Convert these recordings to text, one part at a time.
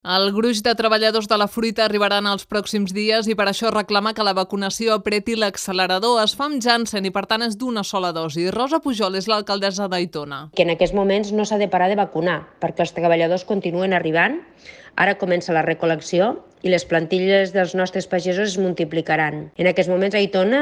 El gruix de treballadors de la fruita arribaran els pròxims dies i per això reclama que la vacunació apreti l'accelerador. Es fa amb Janssen i per tant és d'una sola dosi. Rosa Pujol és l'alcaldessa d'Aitona. Que en aquests moments no s'ha de parar de vacunar perquè els treballadors continuen arribant. Ara comença la recol·lecció i les plantilles dels nostres pagesos es multiplicaran. En aquests moments a Aitona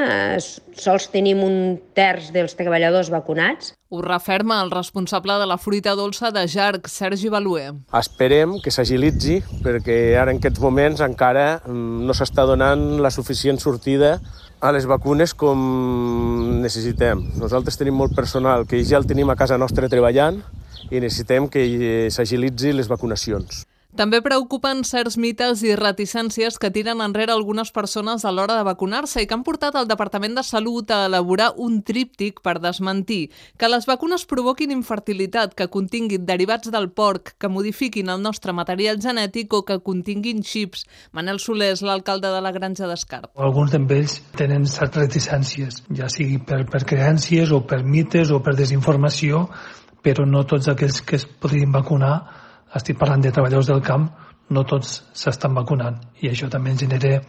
sols tenim un terç dels treballadors vacunats. Ho referma el responsable de la fruita dolça de Jarc, Sergi Baluer. Esperem que s'agilitzi perquè ara en aquests moments encara no s'està donant la suficient sortida a les vacunes com necessitem. Nosaltres tenim molt personal que ja el tenim a casa nostra treballant i necessitem que s'agilitzi les vacunacions. També preocupen certs mites i reticències que tiren enrere algunes persones a l'hora de vacunar-se i que han portat el Departament de Salut a elaborar un tríptic per desmentir que les vacunes provoquin infertilitat, que continguin derivats del porc, que modifiquin el nostre material genètic o que continguin xips. Manel Soler és l'alcalde de la Granja d'Escarp. Alguns d'ells tenen certes reticències, ja sigui per creences o per mites o per desinformació, però no tots aquells que es podrien vacunar, estic parlant de treballadors del camp, no tots s'estan vacunant i això també ens genera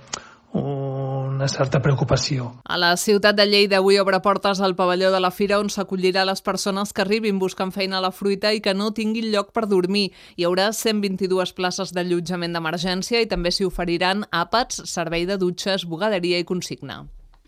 una certa preocupació. A la ciutat de Lleida avui obre portes al pavelló de la Fira on s'acollirà les persones que arribin buscant feina a la fruita i que no tinguin lloc per dormir. Hi haurà 122 places d'allotjament d'emergència i també s'hi oferiran àpats, servei de dutxes, bugaderia i consigna.